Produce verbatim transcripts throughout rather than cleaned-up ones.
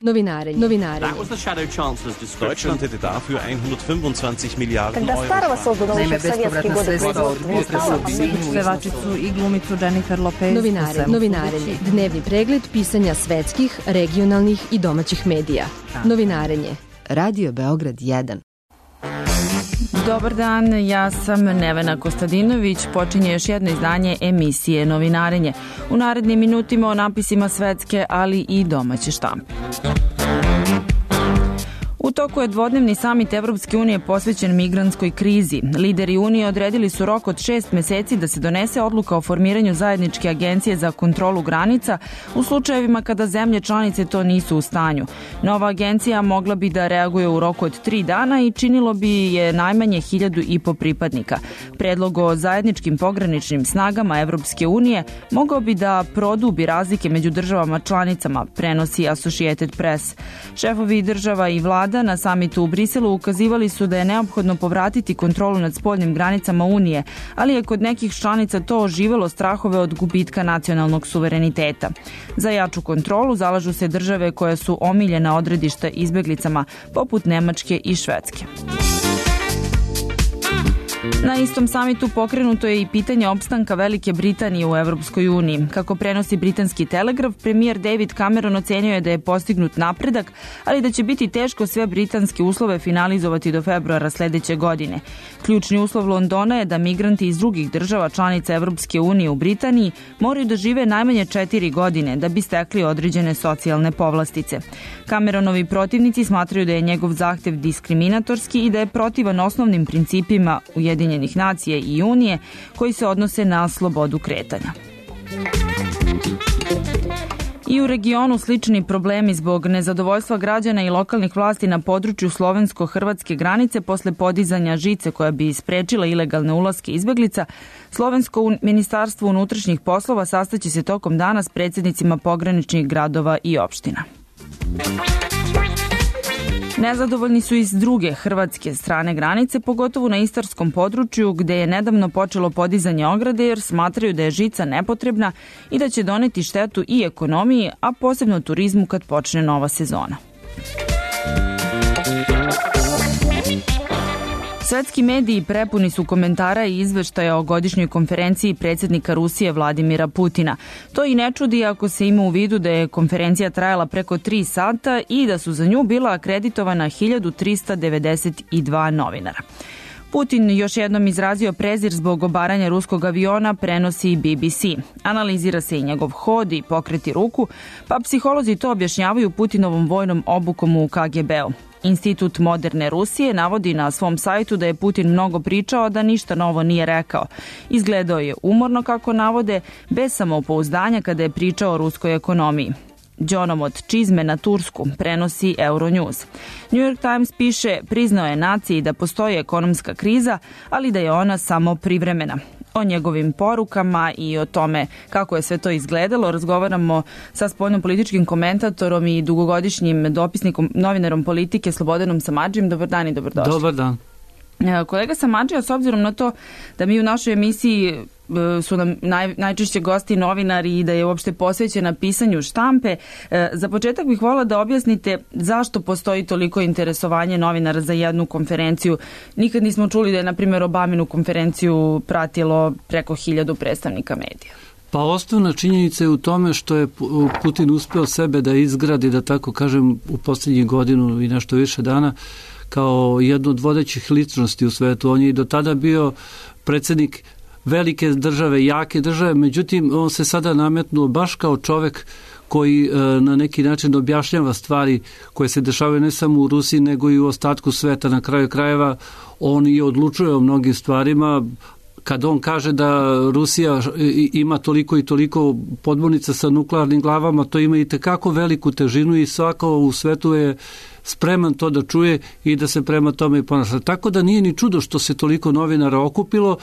Novinarenje. Novinarenje. Deutschland hätte dafür hundertfünfundzwanzig Milliarden Когда старого создано уже в советские годы производства не стало, pevačicu i glumicu Jennifer Lopez. Novinarenje. Novinarenje. Dnevni pregled pisanja svetskih, regionalnih i domaćih medija. Novinarenje. Radio Beograd jedan. Dobar dan, ja sam Nevena Kostadinović. Počinje još jedno izdanje emisije Novinarenje. U narednim minutima o napisima svetske, ali i domaće štampe. U toku je dvodnevni samit Evropske unije posvećen migrantskoj krizi. Lideri Unije odredili su rok od šest meseci da se donese odluka o formiranju zajedničke agencije za kontrolu granica u slučajevima kada zemlje članice to nisu u stanju. Nova agencija mogla bi da reaguje u roku od tri dana i činilo bi je najmanje hiljadu i po pripadnika. Predlog o zajedničkim pograničnim snagama Evropske unije mogao bi da produbi razlike među državama članicama, prenosi Associated Press. Šefovi država i vlada na samitu u Briselu ukazivali su da je neophodno povratiti kontrolu nad spoljnim granicama Unije, ali je kod nekih članica to oživelo strahove od gubitka nacionalnog suvereniteta. Za jaču kontrolu zalažu se države koje su omiljena odredišta izbeglicama, poput Nemačke i Švedske. Na istom samitu pokrenuto je i pitanje opstanka Velike Britanije u Evropskoj uniji. Kako prenosi britanski Telegraf, premijer David Cameron ocenio je da je postignut napredak, ali da će biti teško sve britanske uslove finalizovati do februara sledeće godine. Ključni uslov Londona je da migranti iz drugih država članica Evropske unije u Britaniji moraju da žive najmanje četiri godine da bi stekli određene socijalne povlastice. Cameronovi protivnici smatraju da je njegov zahtev diskriminatorski i da je protivan osnovnim principima Ujedinjenih nacija i Unije koji se odnose na slobodu kretanja. I u regionu slični problemi zbog nezadovoljstva građana i lokalnih vlasti na području slovensko-hrvatske granice posle podizanja žice koja bi sprečila ilegalne ulaske izbeglica. Slovensko ministarstvo unutrašnjih poslova sastaće se tokom dana s predsjednicima pograničnih gradova i opština. Nezadovoljni su iz druge hrvatske strane granice, pogotovo na istarskom području gde je nedavno počelo podizanje ograde jer smatraju da je žica nepotrebna i da će doneti štetu i ekonomiji, a posebno turizmu kad počne nova sezona. Svetski mediji prepuni su komentara i izveštaja o godišnjoj konferenciji predsjednika Rusije Vladimira Putina. To i ne čudi ako se ima u vidu da je konferencija trajala preko tri sata i da su za nju bila akreditovana hiljadu trista devedeset dva novinara. Putin još jednom izrazio prezir zbog obaranja ruskog aviona, prenosi B B C. Analizira se i njegov hod i pokreti ruku, pa psiholozi to objašnjavaju Putinovom vojnom obukom u K G B-u. Institut moderne Rusije navodi na svom sajtu da je Putin mnogo pričao, da ništa novo nije rekao. Izgledao je umorno, kako navode, bez samopouzdanja kada je pričao o ruskoj ekonomiji. Đonom od čizme na Tursku, prenosi Euronews. New York Times piše, priznao je naciji da postoji ekonomska kriza, ali da je ona samo privremena. O njegovim porukama i o tome kako je sve to izgledalo razgovaramo sa spoljnopolitičkim komentatorom i dugogodišnjim dopisnikom, novinarom politike Slobodanom Samardžijem. Dobar dan i dobrodošli. Dobar dan. Kolega Samardžija, s obzirom na to da mi u našoj emisiji su nam naj, najčešće gosti novinari i da je uopšte posvećena pisanju štampe, za početak bih volila da objasnite zašto postoji toliko interesovanje novinara za jednu konferenciju. Nikad nismo čuli da je, na primjer, Obaminu konferenciju pratilo preko hiljadu predstavnika medija. Pa osnovna činjenica je u tome što je Putin uspeo sebe da izgradi, da tako kažem, u posljednjih godinu i nešto više dana, kao jednu od vodećih ličnosti u svetu. On je i do tada bio predsjednik velike države, jake države, međutim on se sada nametnuo baš kao čovek koji e, na neki način objašnjava stvari koje se dešavaju ne samo u Rusiji nego i u ostatku sveta. Na kraju krajeva on i odlučuje o mnogim stvarima. Kad on kaže da Rusija ima toliko i toliko podmornica sa nuklearnim glavama, to ima i tekako veliku težinu i svako u svetu je spreman to da čuje i da se prema tome i ponaša. Tako da nije ni čudo što se toliko novinara okupilo.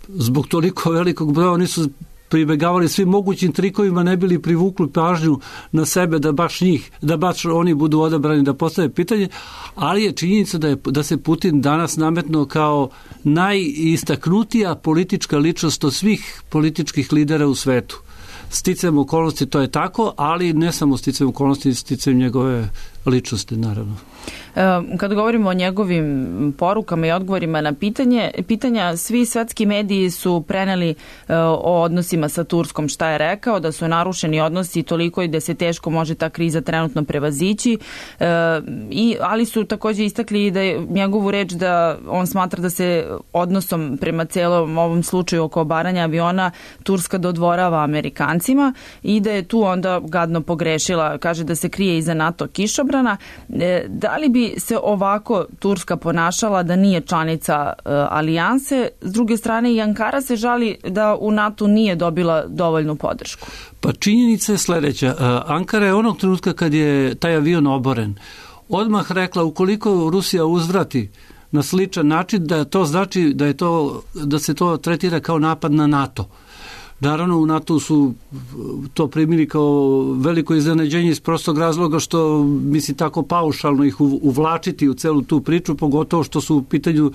Zbog toliko velikog broja oni su pribegavali svim mogućim trikovima, ne bili privukli pažnju na sebe da baš njih, da baš oni budu odabrani da postave pitanje, ali je činjenica da, je, da se Putin danas nametnuo kao najistaknutija politička ličnost od svih političkih lidera u svetu. sticajem okolnosti to je tako, ali ne samo sticajem okolnosti, sticajem njegove ličnosti, naravno. Kad govorimo o njegovim porukama i odgovorima na pitanje, pitanja, svi svetski mediji su preneli o odnosima sa Turskom šta je rekao, da su narušeni odnosi toliko i da se teško može ta kriza trenutno prevazići, i, ali su također istakli da je njegovu reč da on smatra da se odnosom prema celom ovom slučaju oko obaranja aviona Turska dodvorava Amerikancima i da je tu onda gadno pogrešila, kaže da se krije iza NATO kišobrana. Da li bi se ovako Turska ponašala da nije članica uh, alijanse? S druge strane, i Ankara se žali da u NATO nije dobila dovoljnu podršku. Pa činjenica je sledeća. Uh, Ankara je onog trenutka kad je taj avion oboren odmah rekla ukoliko Rusija uzvrati na sličan način, da to znači da je to, da se to tretira kao napad na NATO. Naravno, u NATO su to primili kao veliko iznenađenje iz prostog razloga što misli tako paušalno ih uvlačiti u celu tu priču, pogotovo što su u pitanju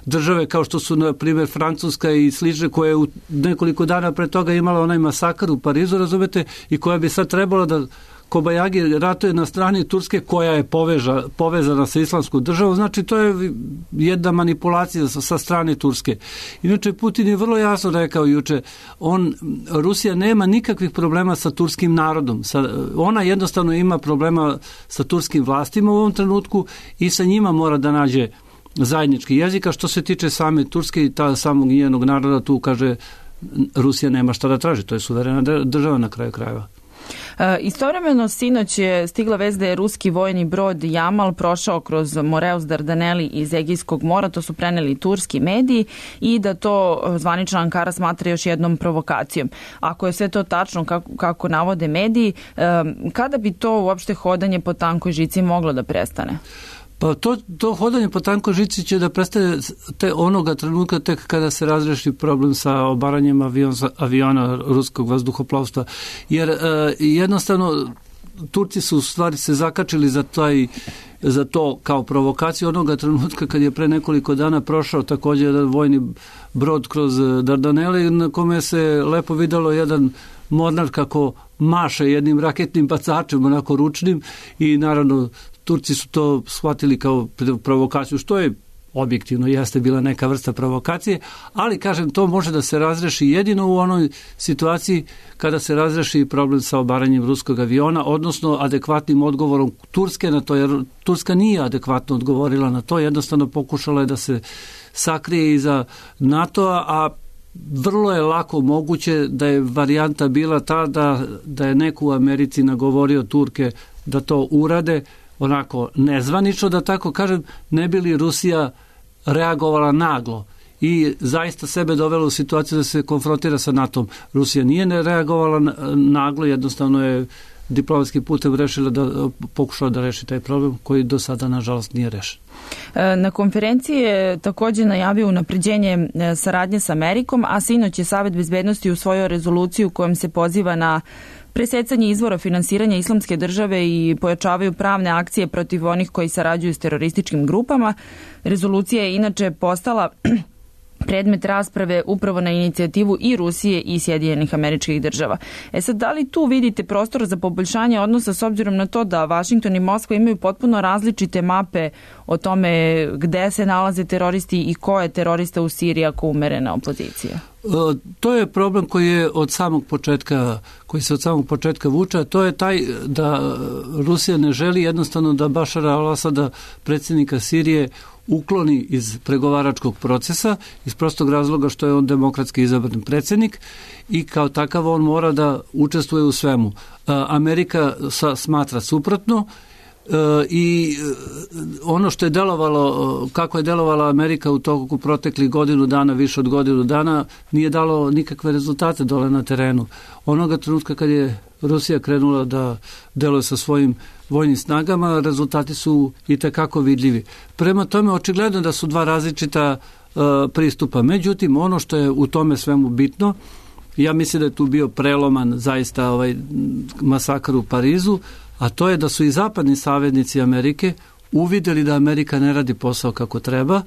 države kao što su, na primjer, Francuska i slične, koje u nekoliko dana pre toga imala onaj masakar u Parizu, razumete, i koja bi sad trebala da Kobajagi ratuje na strani Turske koja je poveža, povezana sa islamskom državom, znači to je jedna manipulacija sa, sa strane Turske. Inače, Putin je vrlo jasno rekao juče, on, Rusija nema nikakvih problema sa turskim narodom. Sa, ona jednostavno ima problema sa turskim vlastima u ovom trenutku i sa njima mora da nađe zajednički jezik, a što se tiče same Turske i ta samog njenog naroda, tu kaže Rusija nema šta da traži, to je suverena država na kraju krajeva. E, istovremeno sinoć je stigla vest da je ruski vojni brod Jamal prošao kroz Moreus Dardaneli iz Egejskog mora, to su preneli turski mediji, i da to zvanična Ankara smatra još jednom provokacijom. Ako je sve to tačno kako, kako navode mediji, e, kada bi to uopšte hodanje po tankoj žici moglo da prestane? Pa to, to hodanje po tankoj žici će da prestane te onoga trenutka tek kada se razreši problem sa obaranjem avion, aviona ruskog vazduhoplovstva. Jer e, jednostavno Turci su u stvari se zakačili za taj za to kao provokaciju onoga trenutka kad je pre nekoliko dana prošao također jedan vojni brod kroz Dardanele, na kome se lepo videlo jedan mornar kako maše jednim raketnim bacačem, onako ručnim, i naravno Turci su to shvatili kao provokaciju, što je objektivno jeste bila neka vrsta provokacije, ali kažem, to može da se razreši jedino u onoj situaciji kada se razreši problem sa obaranjem ruskog aviona, odnosno adekvatnim odgovorom Turske na to, jer Turska nije adekvatno odgovorila na to, jednostavno pokušala je da se sakrije iza NATO-a, a vrlo je lako moguće da je varijanta bila ta da, da je neko u Americi nagovorio Turke da to urade, onako nezvanično, da tako kažem, ne bi li Rusija reagovala naglo i zaista sebe dovela u situaciju da se konfrontira sa NATO-om. Rusija nije ne reagovala naglo, jednostavno je diplomatski putem rešila da pokušala da reši taj problem koji do sada nažalost nije rešen. Na konferenciji je također najavio unapređenje saradnje sa Amerikom, a sinoć je Savet bezbednosti usvojio rezoluciju kojom se poziva na presecanje izvora finansiranja islamske države i pojačavaju pravne akcije protiv onih koji sarađuju s terorističkim grupama. Rezolucija je inače postala predmet rasprave upravo na inicijativu i Rusije i Sjedinjenih Američkih Država. E sad, da li tu vidite prostor za poboljšanje odnosa s obzirom na to da Vašington i Moskva imaju potpuno različite mape o tome gde se nalaze teroristi i ko je terorista u Siriji ako umerena opozicija? To je problem koji je od samog početka, koji se od samog početka vuče, to je taj da Rusija ne želi jednostavno da Bašara al-Asada, predsjednika Sirije, ukloni iz pregovaračkog procesa iz prostog razloga što je on demokratski izabran predsjednik i kao takav on mora da učestvuje u svemu. Amerika smatra suprotno i ono što je delovalo, kako je delovala Amerika u toku proteklih godinu dana, više od godinu dana, nije dalo nikakve rezultate dole na terenu. Onoga trenutka kad je Rusija krenula da deluje sa svojim vojnim snagama, rezultati su i tekako vidljivi. Prema tome, očigledno da su dva različita uh, pristupa. Međutim, ono što je u tome svemu bitno, ja mislim da je tu bio preloman zaista ovaj masakar u Parizu, a to je da su i zapadni saveznici Amerike uvidjeli da Amerika ne radi posao kako treba.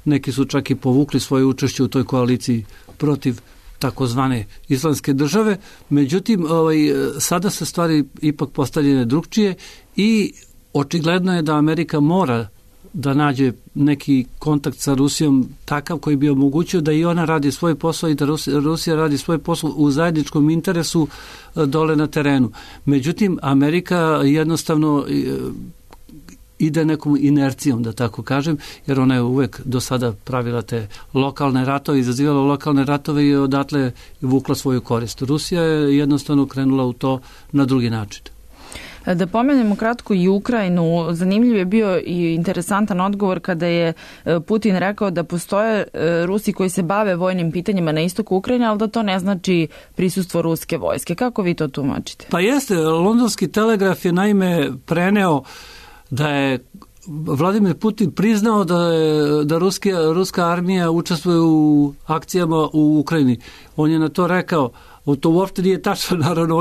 Neki su čak i povukli svoje učešće u toj koaliciji protiv takozvane islamske države. Međutim, ovaj, sada se stvari ipak postavljene drugčije i očigledno je da Amerika mora da nađe neki kontakt sa Rusijom takav koji bi omogućio da i ona radi svoj posao i da Rusija radi svoj posao u zajedničkom interesu dole na terenu. Međutim, Amerika jednostavno ide nekom inercijom, da tako kažem, jer ona je uvek do sada pravila te lokalne ratove, izazivala lokalne ratove i odatle vukla svoju korist. Rusija je jednostavno krenula u to na drugi način. Da pomenemo kratko i Ukrajinu, zanimljiv je bio i interesantan odgovor kada je Putin rekao da postoje Rusi koji se bave vojnim pitanjima na istoku Ukrajine, ali da to ne znači prisustvo ruske vojske. Kako vi to tumačite? Pa jeste, Londonski telegraf je naime preneo da je Vladimir Putin priznao da je da ruski, ruska armija učestvuje u akcijama u Ukrajini. On je na to rekao, to uopšte nije tačno, naravno,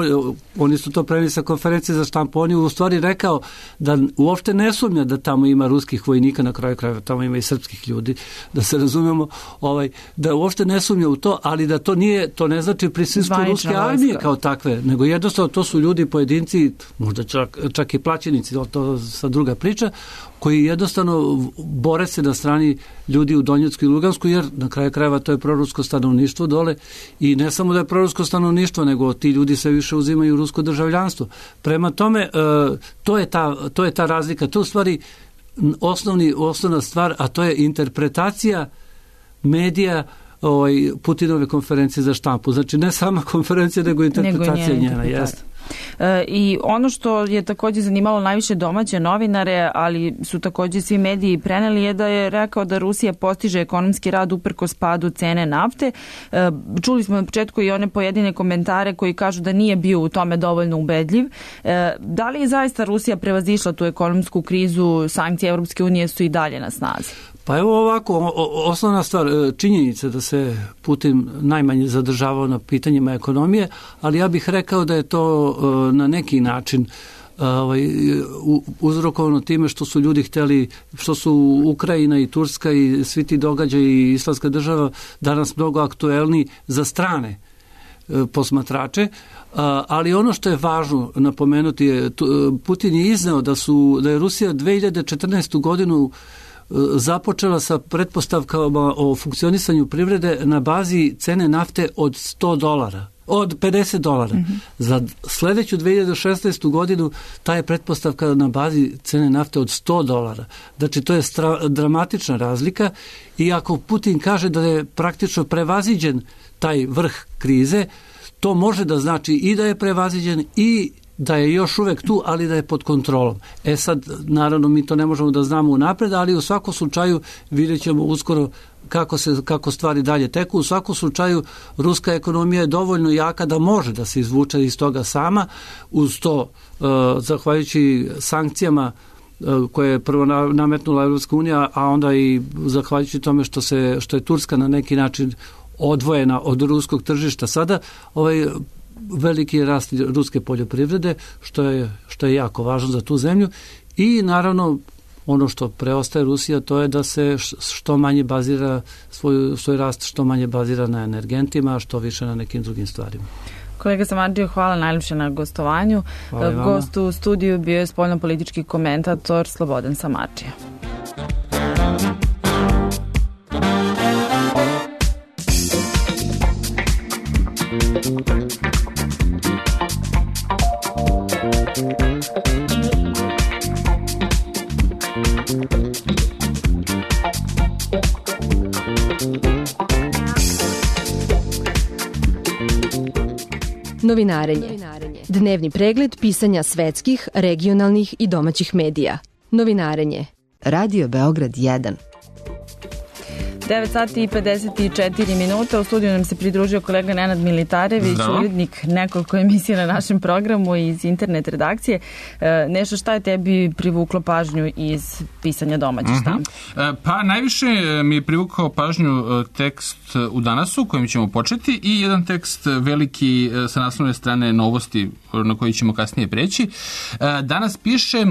oni su to preneli sa konferencije za štampu, on je u stvari rekao da uopšte ne sumnja da tamo ima ruskih vojnika, na kraju krajeva tamo ima i srpskih ljudi, da se razumemo, ovaj, da uopšte ne sumnja u to, ali da to nije, to ne znači prisustvo ruske armije kao takve, nego jednostavno to su ljudi, pojedinci, možda čak, čak i plaćenici, to sa druga priča, koji jednostavno bore se na strani ljudi u Donjecku i Lugansku, jer na kraju krajeva to je prorusko stanovništvo dole i ne samo da je prorusko stanovništvo, nego ti ljudi sve više uzimaju rusko državljanstvo. Prema tome, to je ta, to je ta razlika. To je u stvari osnovni, osnovna stvar, a to je interpretacija medija ovaj, Putinove konferencije za štampu. Znači ne sama konferencija, nego interpretacija nego njena. Jeste. I ono što je također zanimalo najviše domaće novinare, ali su također svi mediji preneli, je da je rekao da Rusija postiže ekonomski rad uprkos padu cene nafte. Čuli smo na početku i one pojedine komentare koji kažu da nije bio u tome dovoljno ubedljiv. Da li je zaista Rusija prevazišla tu ekonomsku krizu, sankcije Evropske unije su i dalje na snazi? Pa evo ovako, osnovna stvar, činjenica da se Putin najmanje zadržavao na pitanjima ekonomije, ali ja bih rekao da je to na neki način ovaj, uzrokovano time što su ljudi htjeli, što su Ukrajina i Turska i svi ti događaji i islamska država danas mnogo aktuelni za strane posmatrače, ali ono što je važno napomenuti je, Putin je izneo da, su, da je Rusija dve hiljade četrnaestu godinu započela sa pretpostavkama o funkcionisanju privrede na bazi cene nafte od sto dolara, od pedeset dolara. Mm-hmm. Za sljedeću dve hiljade šesnaestu godinu ta je pretpostavka na bazi cene nafte od sto dolara. Znači to je stra, dramatična razlika i ako Putin kaže da je praktično prevaziđen taj vrh krize, to može da znači i da je prevaziđen i da je još uvek tu, ali da je pod kontrolom. E sad, naravno, mi to ne možemo da znamo unapred, ali u svakom slučaju vidjet ćemo uskoro kako, se, kako stvari dalje teku. U svakom slučaju, ruska ekonomija je dovoljno jaka da može da se izvuče iz toga sama, uz to, uh, zahvaljujući sankcijama uh, koje je prvo nametnula Evropska unija, a onda i zahvaljujući tome što, se, što je Turska na neki način odvojena od ruskog tržišta. Sada ovaj veliki je rast ruske poljoprivrede, što je, što je jako važno za tu zemlju i naravno ono što preostaje Rusija, to je da se što manje bazira svoj, svoj rast, što manje bazira na energentima, a što više na nekim drugim stvarima. Kolega Samardžio, hvala najljepše na gostovanju. Gost u studiju bio je spoljnopolitički komentator Slobodan Samardžio. Novinarenje. Dnevni pregled pisanja svetskih, regionalnih i domaćih medija. Novinarenje. Radio Beograd jedan. devet sati i pedeset četiri minuta. U studiju nam se pridružio kolega Nenad Militarević, urednik nekoliko emisija na našem programu iz internet redakcije. E, nešto šta je tebi privuklo pažnju iz pisanja domaće štampe? Uh-huh. Pa najviše mi je privukao pažnju tekst u Danasu kojim ćemo početi i jedan tekst veliki sa naslovne strane Novosti na koji ćemo kasnije preći. Danas piše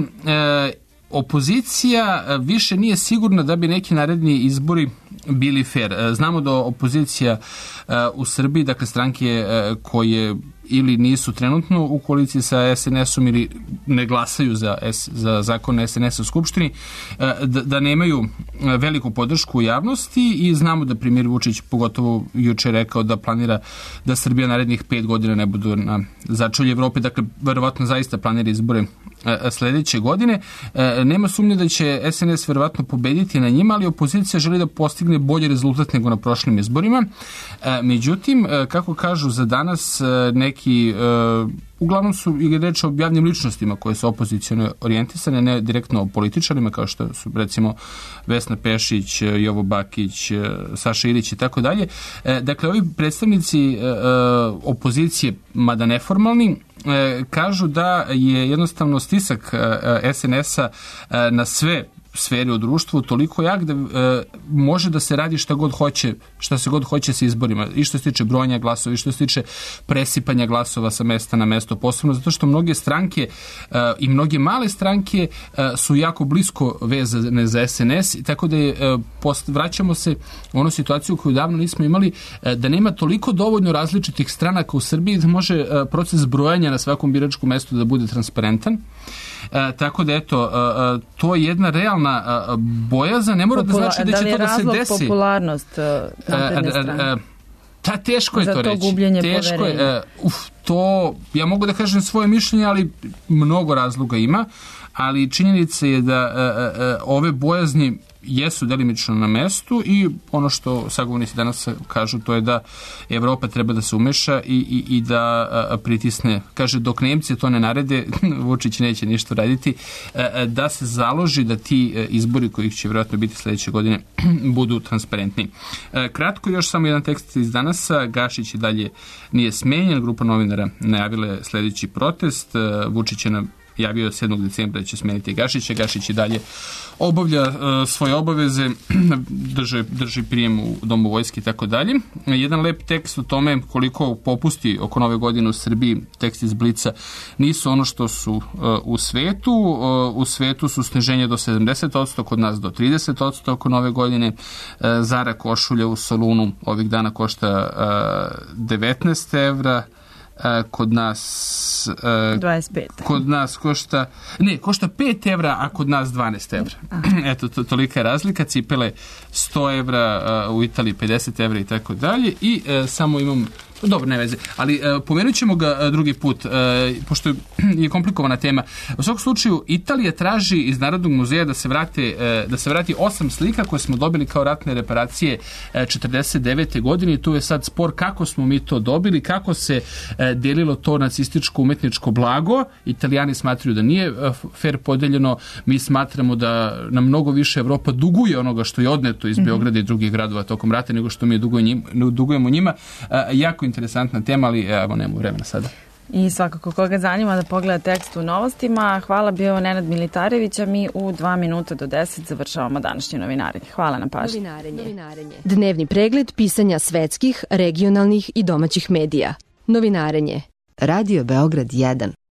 opozicija više nije sigurna da bi neki naredni izbori bili fair. Znamo da opozicija u Srbiji, dakle stranke koje ili nisu trenutno u koaliciji sa es en esom ili ne glasaju za, za zakon es en es u Skupštini, da, da nemaju veliku podršku u javnosti i znamo da premijer Vučić pogotovo juče rekao da planira da Srbija narednih pet godina ne bude na začelju Evrope, dakle verovatno zaista planira izbore sledeće godine. Nema sumnje da će es en es verovatno pobediti na njima, ali opozicija želi da postigne bolji rezultat nego na prošlim izborima. Međutim, kako kažu za danas neki, uglavnom su i reč o javnim ličnostima koje su opoziciono orijentisane, ne direktno o političarima kao što su recimo Vesna Pešić, Jovo Bakić, Saša Ilić i tako dalje. Dakle, ovi predstavnici opozicije, mada neformalni, kažu da je jednostavno stisak es en esa na sve sferi u društvu toliko jak da e, može da se radi šta god hoće, šta se god hoće sa izborima, i što se tiče brojanja glasova, i što se tiče presipanja glasova sa mesta na mesto, posebno zato što mnoge stranke e, i mnoge male stranke e, su jako blisko vezane za es en es, tako da je, e, post, vraćamo se u onu situaciju koju davno nismo imali, e, da nema toliko dovoljno različitih stranaka u Srbiji da može e, proces brojanja na svakom biračkom mestu da bude transparentan. E, tako da eto, e, to je jedna realna e, bojaza, ne mora Popula- da znači da će da to da se desi. Da li je razlog popularnost napredne strane? E, e, ta, teško je za to, to reći. Gubljenje teško je, e, uf, to, ja mogu da kažem svoje mišljenje, ali mnogo razloga ima, ali činjenica je da e, e, ove bojazni jesu delimično na mestu i ono što sagovornici danas kažu, to je da Evropa treba da se umeša i, i, i da a, pritisne, kaže dok Nemci to ne narede, Vučić neće ništa raditi, a, da se založi da ti izbori kojih će vjerojatno biti sledeće godine budu transparentni. A, kratko još samo jedan tekst iz danasa, Gašić i dalje nije smenjen, grupa novinara najavila je sledeći protest, a, Vučić je na javio sedmog decembra da će smeniti Gašića. Gašić i dalje obavlja uh, svoje obaveze, drži, drži prijem u Domu vojske i tako dalje. Jedan lep tekst o tome koliko popusti oko nove godine u Srbiji, tekst iz Blica, nisu ono što su uh, u svetu. Uh, u svetu su sniženje do sedamdeset posto, kod nas do trideset posto oko nove godine. Uh, Zara košulja u Solunu ovih dana košta uh, devetnaest evra. Kod nas uh, dvadeset pet. Kod nas košta ne, košta pet evra, a kod nas dvanaest evra. Eto, to, tolika je razlika. Cipele sto evra, uh, u Italiji pedeset evra i tako dalje. I uh, samo imam dobro, ne veze, ali uh, pomenut ćemo ga uh, drugi put, uh, pošto je komplikovana tema. U svakom slučaju, Italija traži iz Narodnog muzeja da se vrate, uh, da se vrati osam slika koje smo dobili kao ratne reparacije uh, četrdeset devete godine i tu je sad spor kako smo mi to dobili, kako se uh, delilo to nacističko umetničko blago. Italijani smatraju da nije uh, fair podeljeno, mi smatramo da nam mnogo više Evropa duguje onoga što je odneto iz mm-hmm. Beograda i drugih gradova tokom rata nego što mi dugujemo njima. Uh, jako interesantna tema, ali evo, nemamo vremena sada. I svakako koga zanima da pogleda tekst u novostima. Hvala, bio Nenad Militarević, a mi u dva minuta do deset završavamo današnje novinarenje. Hvala na pažnji. Novinarenje. Novinarenje. Dnevni pregled pisanja svetskih, regionalnih i domaćih medija. Novinarenje. Radio Beograd jedan.